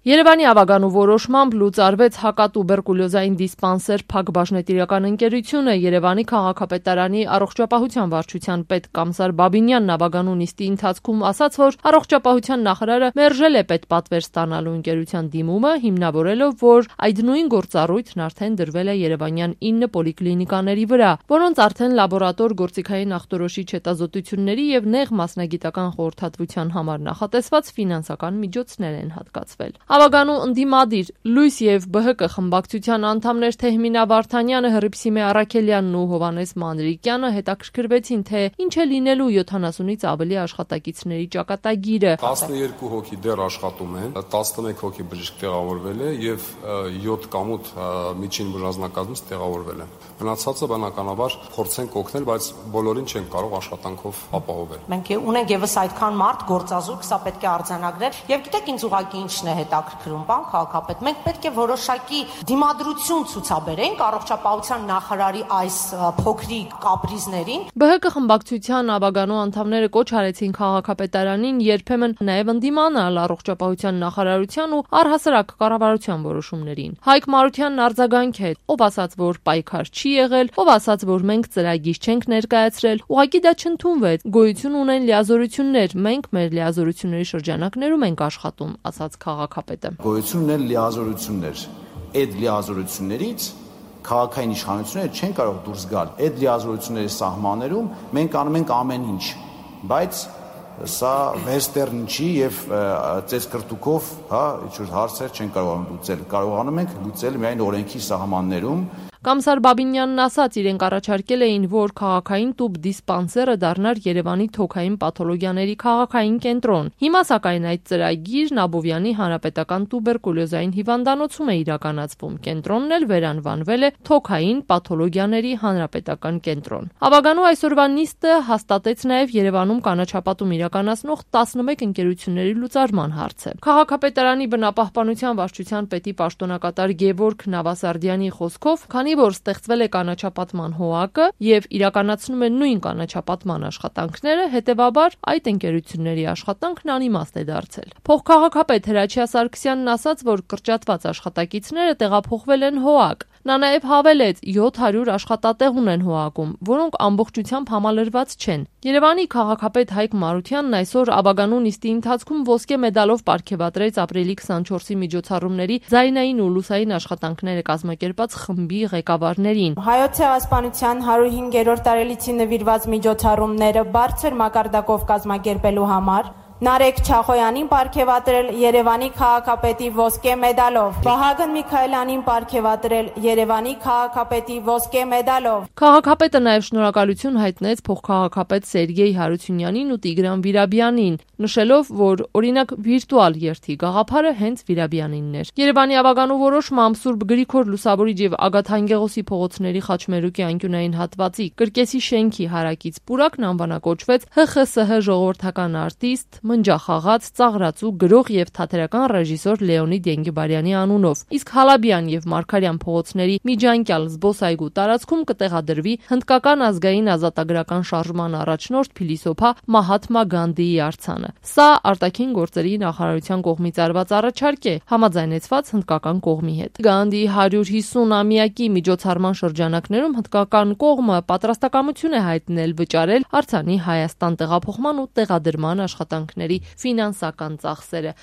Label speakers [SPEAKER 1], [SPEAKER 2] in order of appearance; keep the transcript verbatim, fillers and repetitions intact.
[SPEAKER 1] Երևանի ավագանու որոշմամբ լուծարվեց հակատուբերկուլյոզային դիսպանսեր Փակ բաժնետիրական ընկերությունը Երևանի քաղաքապետարանի առողջապահության վարչության պետ Կամսար Բաբինյանն ավագանու նիստի ընթացքում ասաց, որ առողջապահության նախարարը մերժել է պետպատվեր ստանալու ընկերության դիմումը, հիմնավորելով, որ այդ նույն գործառույթն արդեն դրվել է երևանյան ինը պոլիկլինիկաների վրա, որոնց արդեն լաբորատոր գործիքային ախտորոշիչ հետազոտությունների եւ նեղ մասնագիտական խորհրդատվության համար նախատեսված ֆինանսական միջոցներ են հատկացվել։ Ավագանու ընդդիմադիր Լույս եւ Բ Հ Կ խմբակցության անդամներ Թեհմինա Վարդանյանը, Հռիփսիմե Առաքելյանն ու Հովհաննես Մանրիկյանը հետաքրքրվեցին, թե ինչ է լինելու յոթանասունից ավելի աշխատակիցների ճակատագիրը։
[SPEAKER 2] տասնուերկու հոգի դեռ աշխատում են, տասնմեկ հոգի բժիշկ տեղավորվել է եւ յոթ կամուտ միջին բուժանձնակազմից տեղավորվել է։ Մնացածը բնականաբար փորձենք օգնել, բայց բոլորին չեն կարող աշխատանքով ապահովել։
[SPEAKER 3] Մենք ունենք եւս այդքան մարդ գործազուրկ, սա պետք է արձանագրել եւ գիտեք ինձ ուղղակի ինչն է հետաքրքրում, պարոն քաղաքապետ, մենք պետք է որոշակի դիմադրություն ցուցաբերենք առողջապահության նախարարի այս փոքրիկ կապրիզներին։
[SPEAKER 1] Բ Հ Կ խմբակցության ավագանու անդամները կոչ արեցին քաղաքապետարանին երբեմն նաեւ ընդդիմանալ առողջապահության նախարարության ու առհասարակ կառավարության որոշումներին։ Հայկ Մարությանն արձագանք է, ով ասաց, որ պայքար չի եղել, ով ասաց, որ մենք ծրագիր չենք ներկայացրել, ուղղակի դա չընդունվեց։ Գոյություն ունեն լիազորություններ, մենք մեր լիազորությունների շրջանակներում ենք աշխատում, ասաց քաղաքապետը։
[SPEAKER 4] Գոյություն ունեն լիազորություններ, այդ լիազորություններից քաղաքային իշխանությունները չեն կարող դուրս գալ։ Այդ լիազորությունների սահմաններում մենք անում ենք ամեն ինչ, բայց սա վեստերն չի եւ ծեսկրտուկով, հա, ինչ-որ հարցեր չեն կարողանում լուծել։ Կարողանում ենք լուծել միայն օրենքի սահմաններում։
[SPEAKER 1] Կամսար Բաբինյանն ասաց, իրենք առաջարկել էին, որ քաղաքային տուբ դիսպանսերը դառնար Երևանի թոքային պաթոլոգիաների քաղաքային կենտրոն։ Հիմա սակայն այդ ծրագիրն Աբովյանի հանրապետական տուբերկուլյոզային հիվանդանոցում է իրականացվում։ Կենտրոնն էլ վերանվանվել է թոքային պաթոլոգիաների հանրապետական կենտրոն։ Ավագանու այսօրվա նիստը հաստատեց նաև Երևանում կանաչապատում իրականացնող տասնմեկ ընկերությունների լուծարման հարցը։ Քաղաքապետարանի բնապահպանության վարչության պետի պաշտոնակատար Գևորգ Նավասարդյանի խոսքով, քանի որ ստեղծվել է կանաչապատման հոհակը եւ իրականացնում է նույն կանաչապատման աշխատանքները, հետեւաբար այդ ընկերությունների աշխատանքն անիմաստ է դարձել։ Փոխքաղաքապետ Հրաչյա Սարգսյանն ասաց, որ կրճատված աշխատակիցները տեղափոխվել են հոհակ։ Նա նաև հավելեց, յոթ հարյուր աշխատատեղ ունեն հոհակում, որոնք ամբողջությամբ համալրված չեն։ Երևանի քաղաքապետ Հայկ Մարությանն այսօր ավագանու նիստի ընթացքում ոսկե մեդալով պարգևատրեց ապրիլի քսանչորսի միջոցառումների ձայնային ու լուսային աշխատանքները կազմակերպած խմբի ղեկավարներին։
[SPEAKER 5] Հայոց ցեղասպանության հարյուր հինգերորդ տարելիցին նվիրված միջոցառումները բարձր մակարդակով կազմակերպելու համար Նարեկ Չախոյանին պարգևատրել Երևանի քաղաքապետի ոսկե մեդալով, Վահագն Միքայելյանին պարգևատրել Երևանի քաղաքապետի ոսկե մեդալով։
[SPEAKER 1] Քաղաքապետը նաև շնորհակալություն հայտնեց փոխքաղաքապետ Սերգեյ Հարությունյանին ու Տիգրան Վիրաբյանին, նշելով, որ օրինակ վիրտուալ երթի գաղափարը հենց Վիրաբյանինն էր։ Երևանի ավագանու որոշմամբ Սուրբ Գրիգոր Լուսավորիչ եւ Ագաթ Անգեղոսի փողոցների Խաչմերուկի անկյունային հատվածի Կրկեսի շենքի հարակից պուրակն անվանակոչվեց Հ Խ Ս Հ ժողովրդական արտիստ մնջախաղաց, ծաղրացու, գրող եւ թատերական ռեժիսոր Լեոնիդ Ենգիբարյանի անունով։ Իսկ Հալաբյան եւ Մարգարյան փողոցների միջանկյալ զբոսայգու տարածքում կտեղադրվի հնդկական ազգային ազատագրական շարժման առաջնորդ փիլիսոփա Մահաթմա Գանդիի արձանը։ Սա արտաքին գործերի նախարարության կողմից արված առաջարկ է, համաձայնեցված հնդկական կողմի հետ։ Գանդիի հարյուր հիսուն-ամյակի միջոցառման շրջանակներում հնդկական կողմը պատրաստակամություն է հայտնել վճարել արձանի Հայաստան տեղափոխման ու տեղադրման աշխատանքների ֆինանսական ծախսերը։